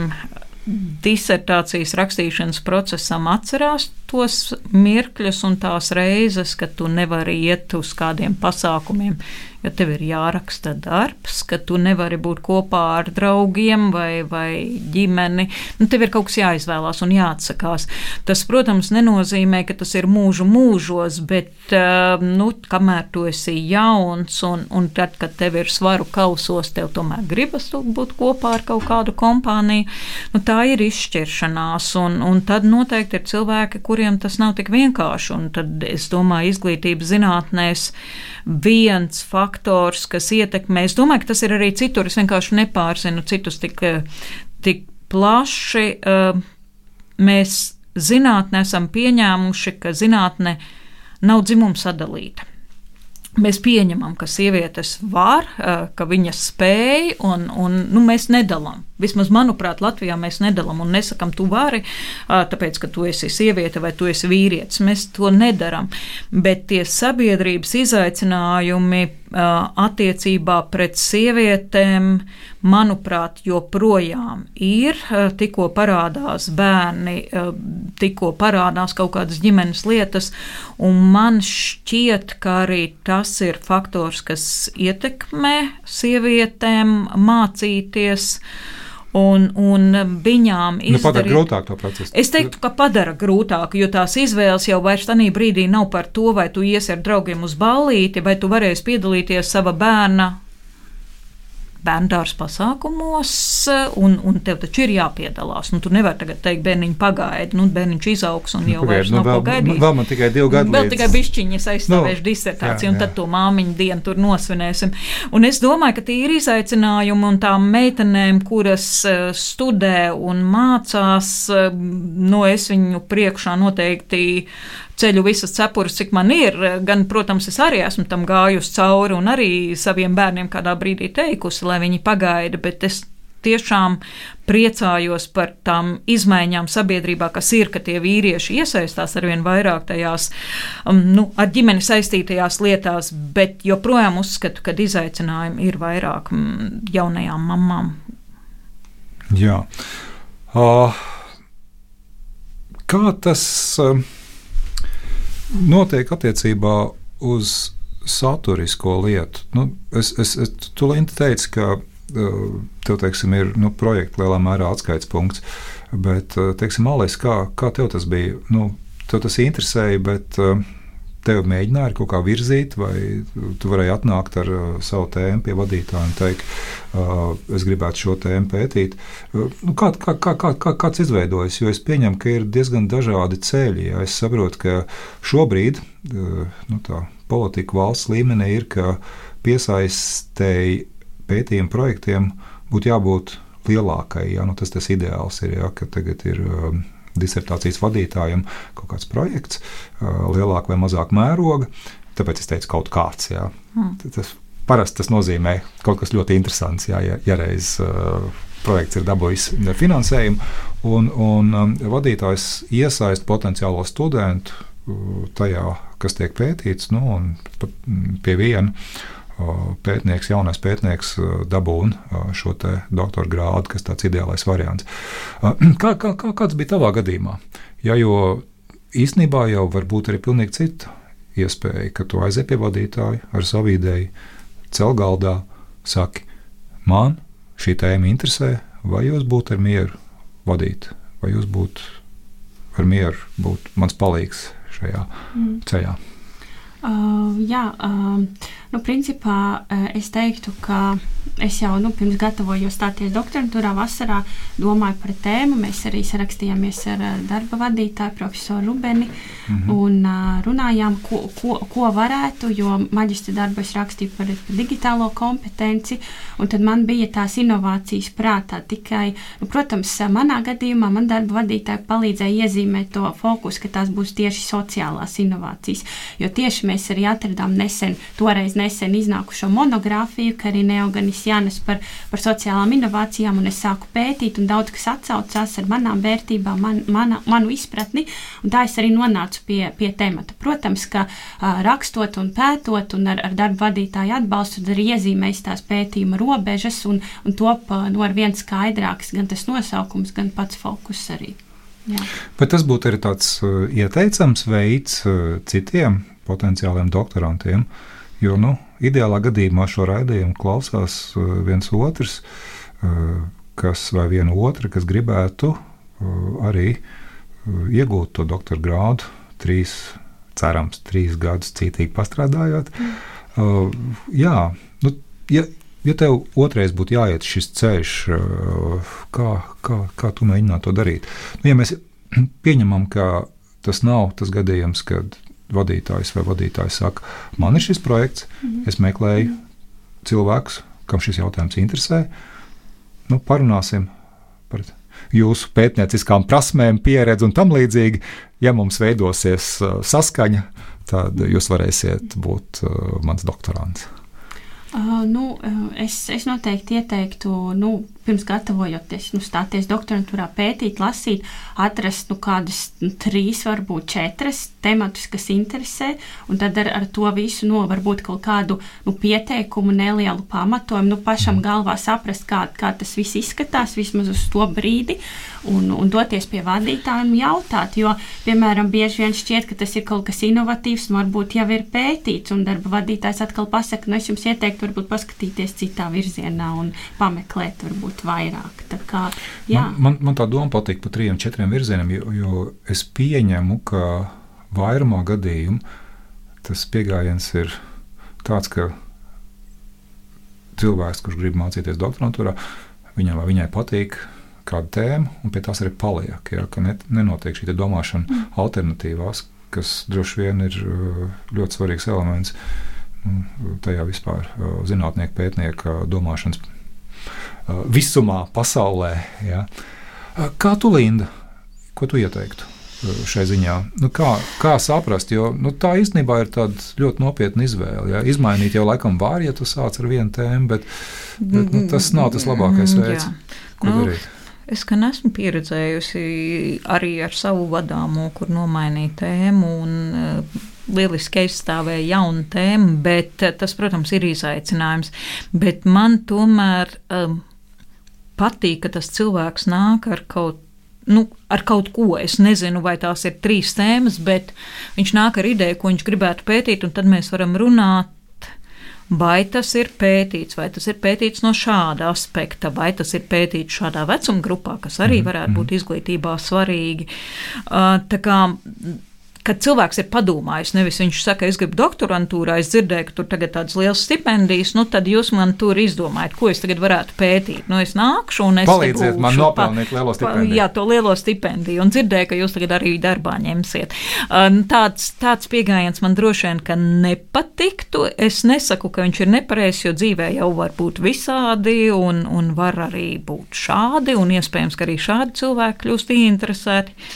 Speaker 2: disertācijas rakstīšanas procesam, atcerās tos mirkļus un tās reizes, kad tu nevari iet uz kādiem pasākumiem, jo tev ir jāraksta darbs, ka tu nevari būt kopā ar draugiem vai, vai ģimeni. Nu, tev ir kaut kas jāizvēlās un jāatsakās. Tas, protams, nenozīmē, ka tas ir mūžu mūžos, bet, nu, kamēr tu esi jauns un, un tad, kad tev ir svaru kausos, tev tomēr gribas būt kopā ar kaut kādu kompāniju, nu, tā ir izšķiršanās, un, un tad noteikti ir cilvēki, kuriem tas nav tik vienkārši, un tad, es domāju, izglītības zinātnēs viens faktors, kas ietekmē, es domāju, ka tas ir arī citur, es vienkārši nepārzinu citus tik, tik plaši. Mēs zinātnē esam pieņēmuši, ka zinātne nav dzimuma sadalīta. Mēs pieņemam, ka sievietes var, ka viņas spēj, un, un nu, mēs nedalām. Vismaz, manuprāt, Latvijā mēs nedalām un nesakam, tu vari, tāpēc, ka tu esi sieviete vai tu esi vīrietis. Mēs to nedaram. Bet tie sabiedrības izaicinājumi attiecībā pret sievietēm, manuprāt, joprojām ir. Tikko parādās bērni, tikko parādās kaut kādas ģimenes lietas, un man šķiet, ka arī tas ir faktors, kas ietekmē sievietēm mācīties. Un, un viņām izdarīt...
Speaker 1: Nu, padara grūtāk to procesu.
Speaker 2: Es teiktu, ka padara grūtāk, jo tās izvēles jau vairs tanī brīdī nav par to, vai tu iesi ar draugiem uz ballīti, vai tu varēsi piedalīties sava bērna bērndārs pasākumos, un, un tev taču ir jāpiedalās. Nu, tu nevari tagad teikt, bērniņi pagaidi, nu, bērniņš izaugs un jau nu, vairs nav nu, vēl, ko gaidīt.
Speaker 1: Nu, vēl man tikai divi gadi
Speaker 2: Vēl
Speaker 1: līdz.
Speaker 2: tikai bišķiņas aizstāvēšu nu, disertāciju, jā, un tad jā. To māmiņu dienu tur nosvinēsim. Un es domāju, ka tie ir izaicinājumi, un tām meitenēm, kuras studē un mācās, no es viņu priekšā noteikti ceļu visas cepures, cik man ir, gan, protams, es arī esmu tam gājusi cauri un arī saviem bērniem kādā brīdī teikusi, lai viņi pagaida, bet es tiešām priecājos par tām izmaiņām sabiedrībā, kas ir, ka tie vīrieši iesaistās arvien vairāk tajās, um, nu, ar ģimeni saistītajās lietās, bet joprojām uzskatu, ka izaicinājumi ir vairāk um, jaunajām mamām.
Speaker 1: Jā. Uh, kā tas... Uh, notiek attiecībā uz saturisko lietu. Nu, es, es, es, tu, Linda, teici, ka tev, teiksim, ir nu, projekta lielā mērā atskaites punkts, bet, teiksim, Alis, kā, kā tev tas bija? Nu, tev tas interesēja, bet tev mēģināja kaut kā virzīt, vai tu varēji atnākt ar uh, savu tēmu pie vadītāja un teikt, uh, es gribētu šo tēmu pētīt. Uh, nu, kā, kā, kā, kā, kā, kāds izveidojas? Jo es pieņemu, ka ir diezgan dažādi ceļi. Ja? Es saprotu, ka šobrīd uh, nu, tā politika valsts līmenī ir, ka piesaistēji pētījumu projektiem būtu jābūt lielākai. Ja? Nu, tas tas ideāls ir, ja? Ka tagad ir... Uh, disertācijas vadītājiem kaut kāds projekts, lielāk vai mazāk mēroga, tāpēc es teicu kaut kāds. Jā. Mm. Tas, parasti tas nozīmē kaut kas ļoti interesants, jā, ja, ja reiz uh, projekts ir dabūjis finansējumu, un, un um, vadītājs iesaist potenciālo studentu uh, tajā, kas tiek pētīts, nu, un pie viena pētnieks, jaunais pētnieks dabūna šo te doktora grādu, kas tāds ideālais variants. Kā, kā, kā, kāds bija tavā gadījumā? Ja, jo īstenībā jau var būt arī pilnīgi cita iespēja, ka tu aiziet pie vadītāja ar savu ideju, cel galdā, saki, man šī tēma interesē, vai jūs būtu ar mieru vadīt, vai jūs būtu ar mieru būt mans palīgs šajā mm. ceļā?
Speaker 3: Uh, jā, uh, nu, principā uh, es teiktu, ka es jau nu, pirms gatavojos stāties doktorantūrā vasarā domāju par tēmu. Mēs arī sarakstījāmies ar uh, darba vadītāju profesoru Rubeni mm-hmm. un uh, runājām, ko, ko, ko varētu, jo maģistra darbu es rakstīju par, par digitālo kompetenci, un tad man bija tās inovācijas prātā tikai, nu, protams, manā gadījumā man darba vadītāji palīdzēja iezīmēt to fokusu, ka tās būs tieši sociālās inovācijas, jo tieši mēs arī atradām nesen, toreiz nesen iznākušo monogrāfiju, ka arī Neoganis Jānis par, par sociālām inovācijām, un es sāku pētīt, un daudz kas atsaucās ar manām vērtībām, man, mana, manu izpratni, un tā es arī nonācu pie, pie temata. Protams, ka uh, rakstot un pētot, un ar, ar darba vadītāju atbalstu, tad arī iezīmēs tās pētījuma robežas, un, un top uh, no ar viens skaidrāks gan tas nosaukums, gan pats fokus arī. Jā.
Speaker 1: Bet tas būtu arī tāds uh, ieteicams veids uh, citiem potenciāliem doktorantiem, Jo nu, ideālā gadījumā šo raidījumu klausās viens otrs, kas vai viena otra, kas gribētu arī iegūt to doktora grādu, trīs, cerams, trīs gadus cītīgi pastrādājot. Mm. Jā, nu, ja, ja tev otrais būtu jāiet šis ceļš, kā, kā, kā tu mēģinātu to darīt? Nu, ja mēs pieņemam, ka tas nav tas gadījums, kad vadītājs vai vadītājs saka, man ir šis projekts, mm. es meklēju mm. cilvēkus, kam šis jautājums interesē, nu, parunāsim par jūsu pētnieciskām prasmēm, pieredzi un tam līdzīgi. Ja mums veidosies saskaņa, tad jūs varēsiet būt mans doktorants.
Speaker 3: Uh, nu, es, es noteikti ieteiktu, nu, pirms gatavojoties, nu, stāties doktorantūrā, pētīt, lasīt, atrast nu, kādas nu, trīs, varbūt četras tematus, kas interesē, un tad ar, ar to visu, nu, varbūt kaut kādu nu, pieteikumu, nelielu pamatojumu, nu, pašam galvā saprast, kā, kā tas viss izskatās, vismaz uz to brīdi, un, un doties pie vadītāja un jautāt, jo, piemēram, bieži vien šķiet, ka tas ir kaut kas inovatīvs, un varbūt jau ir pētīts, un darba vadītājs atkal pasaka, nu, es jums ieteiktu varbūt paskatīties citā virzienā un pameklēt varbūt vairāk. Tā kā, jā.
Speaker 1: Man, man, man tā doma patīk par trījiem, četriem virzieniem, jo, jo es pieņemu, ka vairumā gadījumu tas pieejams ir tāds, ka cilvēks, kurš grib mācīties doktorantūrā, viņam vai viņai patīk kāda tēma, un pie tās arī paliek, ja, ka net, nenotiek šī domāšana mm. alternatīvās, kas droši vien ir ļoti svarīgs elements tajā vispār zinātnieku pētnieka domāšanas visumā pasaulē. Ja. Kā tu, Linda, ko tu ieteiktu šai ziņā? Nu, kā, kā saprast, jo nu, tā īstenībā ir tāda ļoti nopietna izvēle. Ja. Izmainīt jau laikam var, ja tu sāc ar vienu tēmu, bet, bet nu, tas nav tas labākais veids, ko
Speaker 2: nu,
Speaker 1: darīt.
Speaker 2: Es gan esmu pieredzējusi arī ar savu vadāmo, kur nomainīja tēmu un uh, lieliski aizstāvēja jaunu tēmu, bet uh, tas, protams, ir izaicinājums. Bet man tomēr um, patīk, ka tas cilvēks nāk ar kaut, nu, ar kaut ko. Es nezinu, vai tās ir trīs tēmas, bet viņš nāk ar ideju, ko viņš gribētu pētīt, un tad mēs varam runāt, vai tas ir pētīts, vai tas ir pētīts no šāda aspekta, vai tas ir pētīts šādā vecuma grupā, kas arī varētu būt izglītībā svarīgi. Uh, tā kā, kad cilvēks ir padomājis, nevis viņš saka, es gribu doktorantūrā, es dzirdēju, ka tur tagad tādas lielas stipendijas, nu tad jūs man tur izdomājat, ko es tagad varētu pētīt. Nu es nākšu un es
Speaker 1: palīdziet man nopelnīt lielo stipendiju.
Speaker 2: Jā, to lielo stipendiju, un dzirdēju, ka jūs tagad arī darbā ņemsiet. Tāds, tāds pieejams man droši vien, ka nepatiktu. Es nesaku, ka viņš ir nepareizs, jo dzīvē jau var būt visādi, un, un var arī būt šādi, un iespējams, ka arī šādi cilvēki kļūst ieinteresēti.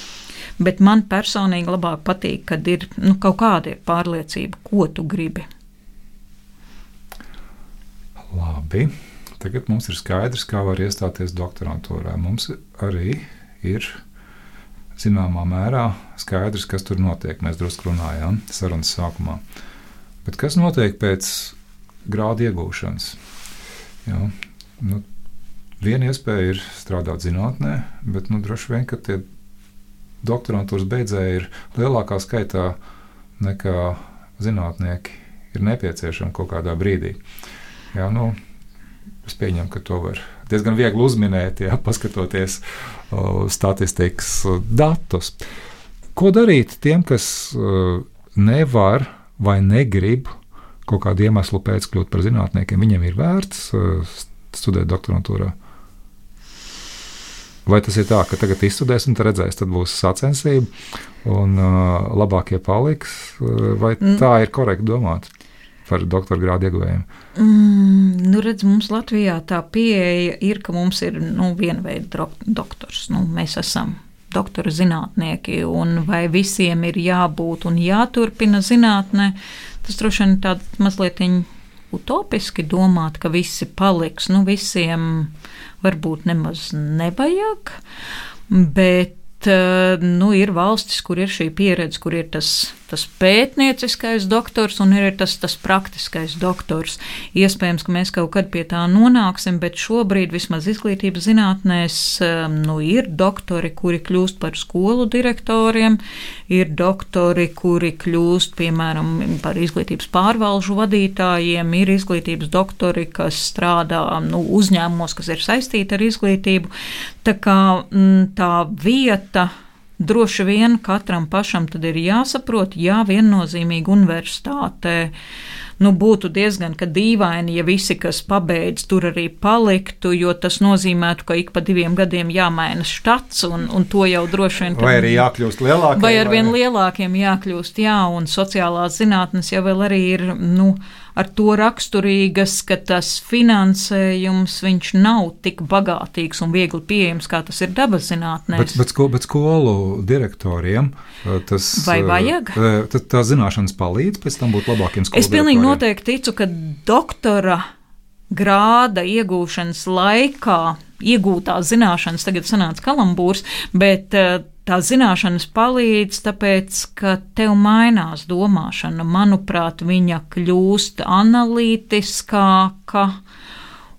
Speaker 2: Bet man personīgi labāk patīk, kad ir nu, kaut kāda pārliecība, ko tu gribi.
Speaker 1: Labi. Tagad mums ir skaidrs, kā var iestāties doktorantūrā. Mums arī ir zināmā mērā skaidrs, kas tur notiek. Mēs drusku runājām sarunas sākumā. Bet kas notiek pēc grāda iegūšanas? Jā, nu, viena iespēja ir strādāt zinātnē, bet nu, droši vien, ka tie doktorantūras beidzēji ir lielākā skaitā nekā zinātnieki ir nepieciešami kaut kādā brīdī. Jā, nu, es pieņemu, ka to var diezgan viegli uzminēt, jā, paskatoties uh, statistikas uh, datus. Ko darīt tiem, kas uh, nevar vai negrib kaut kādu iemeslu pēc kļūt par zinātniekiem? Viņiem ir vērts uh, studēt doktorantūrā? Vai tas ir tā, ka tagad izstudēs un tad redzēs, tad būs sacensība un uh, labākie paliks, uh, vai mm. tā ir korekti domāt par doktora grādu ieguvējiem?
Speaker 2: Mm, nu redz, mums Latvijā tā pieeja ir, ka mums ir nu, viena veida doktors. Nu, mēs esam doktora zinātnieki, un vai visiem ir jābūt un jāturpina zinātnē, tas droši vien tāda mazliet utopiski domāt, ka visi paliks. Nu, visiem varbūt nemaz nevajag, bet nu, ir valstis, kur ir šī pieredze, kur ir tas tas pētnieciskais doktors un ir tas, tas praktiskais doktors. Iespējams, ka mēs kaut kad pie tā nonāksim, bet šobrīd vismaz izglītības zinātnēs nu, ir doktori, kuri kļūst par skolu direktoriem, ir doktori, kuri kļūst, piemēram, par izglītības pārvalžu vadītājiem, ir izglītības doktori, kas strādā nu, uzņēmumos, kas ir saistīti ar izglītību. Tā kā tā vieta droši vien katram pašam tad ir jāsaprot, jā, viennozīmīgi universitātē. Nu, būtu diezgan dīvaini, ja visi, kas pabeidz, tur arī paliktu, jo tas nozīmētu, ka ik pa diviem gadiem jāmaina štats, un, un to jau droši vien...
Speaker 1: Vai arī jākļūst lielākiem.
Speaker 2: Vai ar vien lielākiem jākļūst, jā, un sociālās zinātnes jau vēl arī ir, nu, ar to raksturīgas, ka tas finansējums, viņš nav tik bagātīgs un viegli pieejams, kā tas ir dabas zinātnēs.
Speaker 1: Bet, bet, sko, bet skolu direktoriem tas...
Speaker 2: Vai vajag?
Speaker 1: Tā, tā zināšanas palīdz pēc tam būt labākiem skolu direktoriem?
Speaker 2: Es pilnīgi noteikti ticu, ka doktora grāda iegūšanas laikā iegūtās zināšanas, tagad sanāca kalambūrs, bet tā zināšanas palīdz, tāpēc, ka tev mainās domāšana. Manuprāt, viņa kļūst analītiskāka,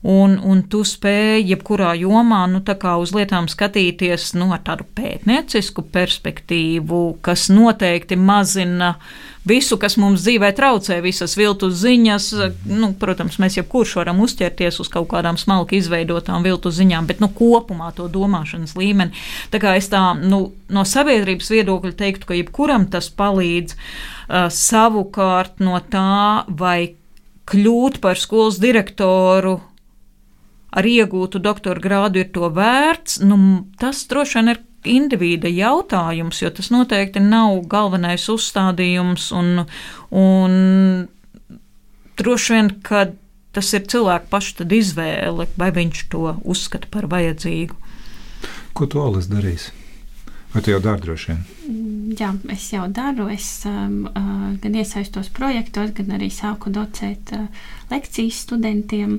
Speaker 2: un, un tu spēj jebkurā jomā, nu, tā kā uz lietām skatīties, nu, ar tādu pētniecisku perspektīvu, kas noteikti mazina visu, kas mums dzīvē traucē, visas viltus ziņas. Nu, protams, mēs jebkurš varam uzķerties uz kaut kādām smalki izveidotām viltus ziņām, bet nu, kopumā to domāšanas līmeni. Tā kā es tā nu, no sabiedrības viedokļa teiktu, ka jebkuram tas palīdz uh, savukārt no tā, vai kļūt par skolas direktoru ar iegūtu doktora grādu ir to vērts, nu, tas droši vien ir individa jautājums, jo tas noteikti nav galvenais uzstādījums, un, un droši vien, ka tas ir cilvēku pašu tad izvēle, vai viņš to uzskata par vajadzīgu.
Speaker 1: Ko tu, Alis, darīsi? Vai tu jau dari droši vien?
Speaker 3: Jā, es jau daru. Es um, uh, gan iesaistos projektos, gan arī sāku docēt uh, lekcijas studentiem.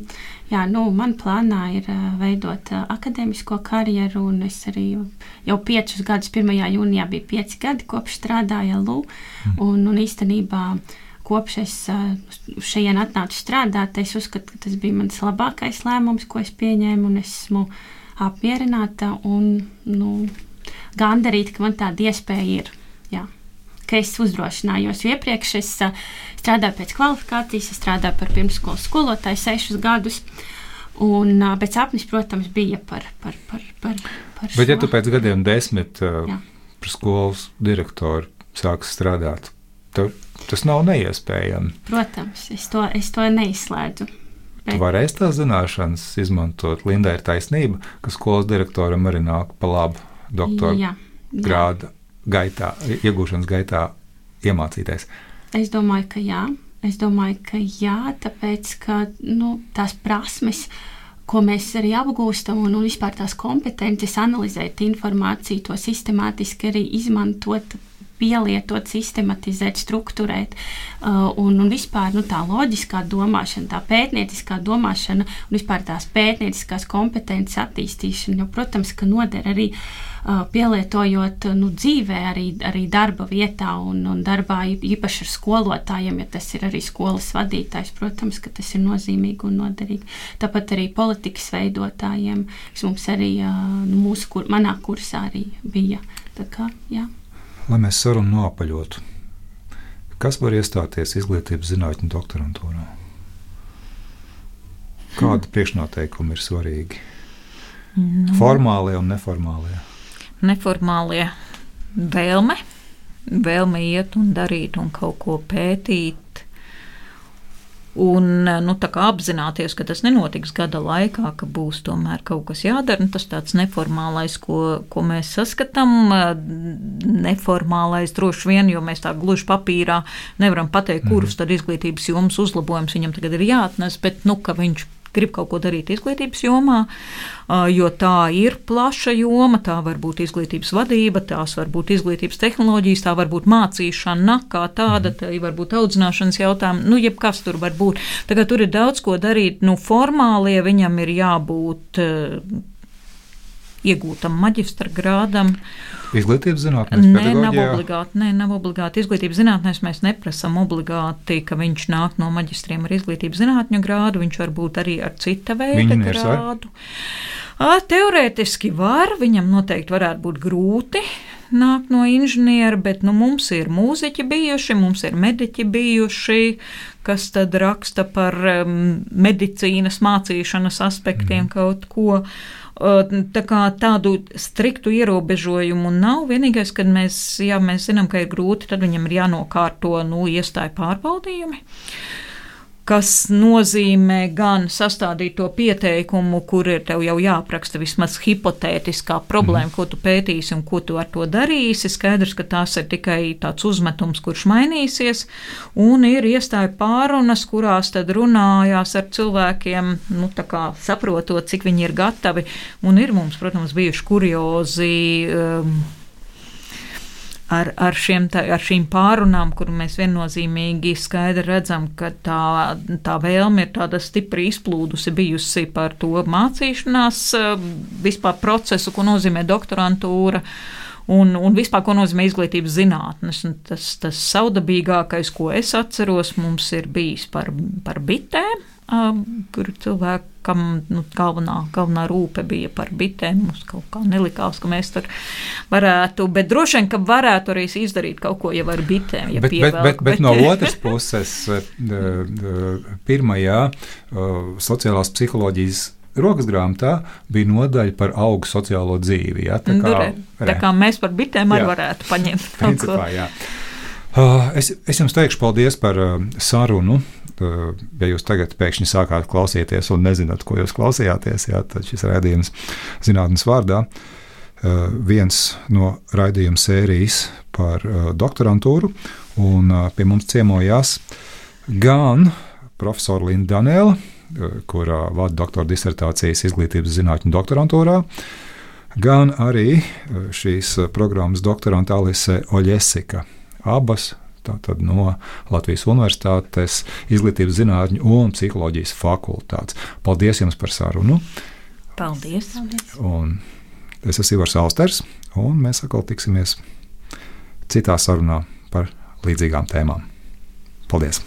Speaker 3: Jā, nu, man plānā ir uh, veidot uh, akadēmisko karjeru, un es arī jau piecus gadus, pirmajā jūnijā bija pieci gadi, kopš strādāju L U, mm. un, un īstenībā kopš es uh, šajien atnācu strādāt, es uzskatu, ka tas bija mans labākais lēmums, ko es pieņēmu, un esmu apmierināta un, nu, gandarīt, ka man tāda iespēja ir, jā, ka es uzdrošinājos. Iepriekš es uh, strādāju pēc kvalifikācijas, es strādāju par pirmsskolas skolotāju sešus gadus, un uh, pēc sapnis, protams, bija par, par, par, par, par
Speaker 1: Bet
Speaker 3: šo.
Speaker 1: ja tu pēc gadiem desmit uh, par skolas direktoru sāks strādāt, tev tas nav neiespējami.
Speaker 3: Protams, es to, es to neizslēdzu. Bet...
Speaker 1: Tu varēsi tās zināšanas izmantot. Linda ir taisnība, ka skolas direktoram arī nāk pa labu doktora jā, jā. grāda gaitā, iegūšanas gaitā iemācīties.
Speaker 3: Es domāju, ka jā. Es domāju, ka jā, tāpēc, ka nu, tās prasmes, ko mēs arī apgūstam, un, un vispār tās kompetences analizēt informāciju, to sistemātiski arī izmantot, pielietot, sistematizēt, strukturēt, uh, un, un vispār nu, tā loģiskā domāšana, tā pētnieciskā domāšana un vispār tās pētnieciskās kompetences attīstīšana, jo, protams, ka noder arī uh, pielietojot nu, dzīvē, arī, arī darba vietā un, un darbā īpaši ar skolotājiem, ja tas ir arī skolas vadītājs, protams, ka tas ir nozīmīgi un noderīgi. Tāpat arī politikas veidotājiem, kas mums arī uh, mūsu, kur, manā kursā arī bija. Tā kā, jā.
Speaker 1: Lai mēs sarunu noapaļotu, kas var iestāties izglītības zinātņu doktorantūrā? Kādi priekšnoteikumi ir svarīgi? Nu, formālie un neformālie?
Speaker 2: Neformālie vēlme, vēlme iet un darīt un kaut ko pētīt. Un nu, tā kā apzināties, ka tas nenotiks gada laikā, ka būs tomēr kaut kas jādara, nu, tas tāds neformālais, ko, ko mēs saskatām, neformālais droši vien, jo mēs tā gluži papīrā nevaram pateikt, kurus tad izglītības jomas uzlabojums viņam tagad ir jāatnes, bet nu, ka viņš grib kaut ko darīt izglītības jomā, jo tā ir plaša joma, tā var būt izglītības vadība, tās var būt izglītības tehnoloģijas, tā var būt mācīšana kā tāda, tā var būt audzināšanas jautājumi, nu, jebkas tur var būt. Tagad tur ir daudz ko darīt, nu, formālie viņam ir jābūt iegūtam maģistra grādam.
Speaker 1: Izglītības zinātnēs,
Speaker 2: Nē,
Speaker 1: pedagoģijā?
Speaker 2: nav obligāti. Nē, nav obligāti. Izglītības zinātnēs mēs neprasam obligāti, ka viņš nāk no maģistriem ar izglītības zinātņu grādu. Viņš var būt arī ar cita veida
Speaker 1: Inženieris var?
Speaker 2: grādu. Ā, teorētiski var, viņam noteikti varētu būt grūti nāk no inženiera, bet nu, mums ir mūziķi bijuši, mums ir mediķi bijuši, kas tad raksta par um, medicīnas mācīšanas aspektiem mm. kaut ko. Tā kā tādu striktu ierobežojumu nav. Vienīgais, kad mēs, jā, mēs zinām, ka ir grūti, tad viņam ir jānokārto nu, iestāju pārbaudījumi, kas nozīmē gan sastādīt to pieteikumu, kur ir tev jau jāapraksta vismaz hipotētiskā problēma, mm. ko tu pētīsi un ko tu ar to darīsi. Skaidrs, ka tās ir tikai tāds uzmetums, kurš mainīsies, un ir iestāju pārunas, kurās tad runājās ar cilvēkiem, nu tā kā saprotot, cik viņi ir gatavi, un ir mums, protams, bijuši kuriozi um, Ar, ar, šiem, tā, ar šīm pārunām, kur mēs viennozīmīgi skaidri redzam, ka tā, tā vēlme ir tāda stipri izplūdusi bijusi par to mācīšanās vispār procesu, ko nozīmē doktorantūra un, un vispār, ko nozīmē izglītības zinātnes. Un tas, tas saudabīgākais, ko es atceros, mums ir bijis par, par bitēm, kur cilvēkam nu, galvenā, galvenā rūpe bija par bitēm. Mums kaut kā nelikās, ka mēs tur varētu, bet droši vien, ka varētu arī izdarīt kaut ko jau ar bitēm. Ja
Speaker 1: bet,
Speaker 2: pievelk,
Speaker 1: bet, bet, bet no otras puses, pirmajā sociālās psiholoģijas rokas grāmatā bija nodaļa par augu sociālo dzīvi. Ja? Tā, kā,
Speaker 2: re, tā kā mēs par bitēm arī varētu paņemt kaut
Speaker 1: principā,
Speaker 2: ko.
Speaker 1: Jā. Es, es jums teikšu paldies par sarunu. Ja jūs tagad pēkšņi sākāt klausīties un nezināt, ko jūs klausījāties, jā, tad šis raidījums zinātnes vārdā viens no raidījuma sērijas par doktorantūru, un pie mums ciemojās gan profesora Linda Danēla, kurā vada doktora disertācijas izglītības zinātņu doktorantūrā, gan arī šīs programmas doktoranta Alise Oļesika. Abas tātad no Latvijas Universitātes izglītības zinātņu un psiholoģijas fakultātes. Paldies jums par sarunu.
Speaker 2: Paldies. Paldies.
Speaker 1: Un es esmu Ivars Austers, un mēs atkal tiksimies citā sarunā par līdzīgām tēmām. Paldies!